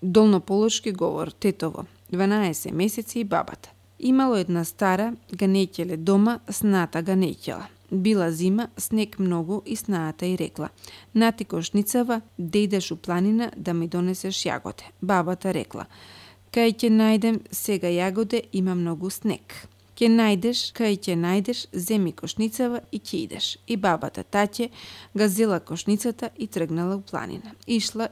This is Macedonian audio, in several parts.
Долнополошки говор, тетово, 12 месеци и бабата. Имало една стара, ганеќеле дома, сната ганеќела. Била зима, снег многу и снаата й рекла: "Нати кошницава, да идеш у планина да ми донесеш јагоде." Бабата рекла: "Кај ќе најдем сега јагоде, има многу снег." Кај ќе најдеш, земи кошницава и ќе идеш." И бабата таќе га зела кошницата и тргнала у планина. Ишла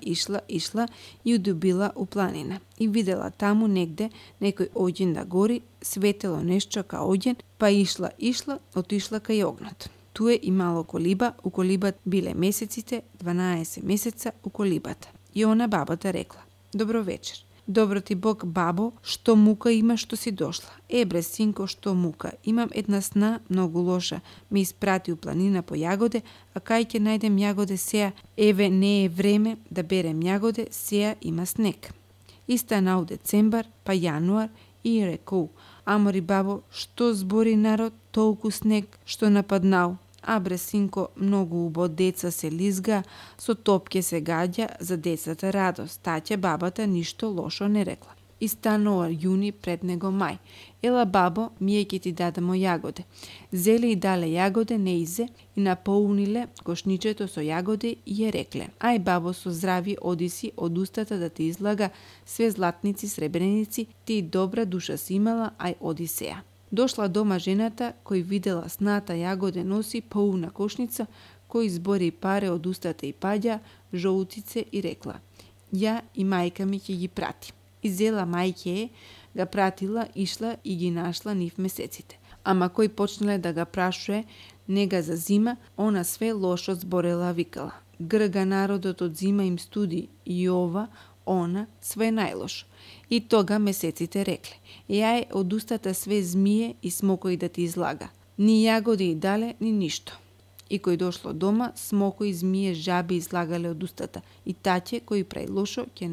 и удобила у планина. И видела таму негде некој оѓен да гори, светело нешто ка оѓен, па ишла, отишла кај огнот. Туе имало колиба, у колибата биле месеците, 12 месеца у колибата. И она бабата рекла: "Добро вечер." "Добро ти Бог, бабо, што мука има што си дошла?" "Бре, синко, што мука? Имам една сна многу лоша. Ме испрати у планина по јагоде, а кај ќе најдем јагоде сеја? Еве, не е време да берем јагоде, сеја има снег." И станал децембар, па јануар и рекол: "Амори бабо, што збори народ, толку снег што нападнал?" "Бре, синко, многу убо, деца се лизга, со топке се гаѓа, за децата радост." Таќе бабата ништо лошо не рекла. И станува јуни, пред него мај. "Ела бабо, ние ќе ти дадемо јагоде." Зеле и дале јагоде неизе и наполниле кошничето со јагоде и ја рекле: "Ај бабо, со здрави одиси, од устата да ти излага све златници, сребреници, ти добра душа си имала, ај оди сеја." Дошла дома жената, кој видела сната јагоде носи полна кошница, кој збори паре од устата и паѓа, жолутице и рекла: "Ја и мајка ми ќе ги прати." И зела мајке га пратила, ишла и ги нашла нив месеците. Ама кој почнале да га прашуе, не га зазима, она све лошо зборела, викала: "Грга народот од зима им студи, и ова, она, све најлошо." И тога месеците рекле: "Јај од устата све змие и смокои да ти излага. Ни јагоди и дале, ни ништо." И кој дошло дома, смокои, змие, жаби излагале од устата. И таќе кој прави лошо ќе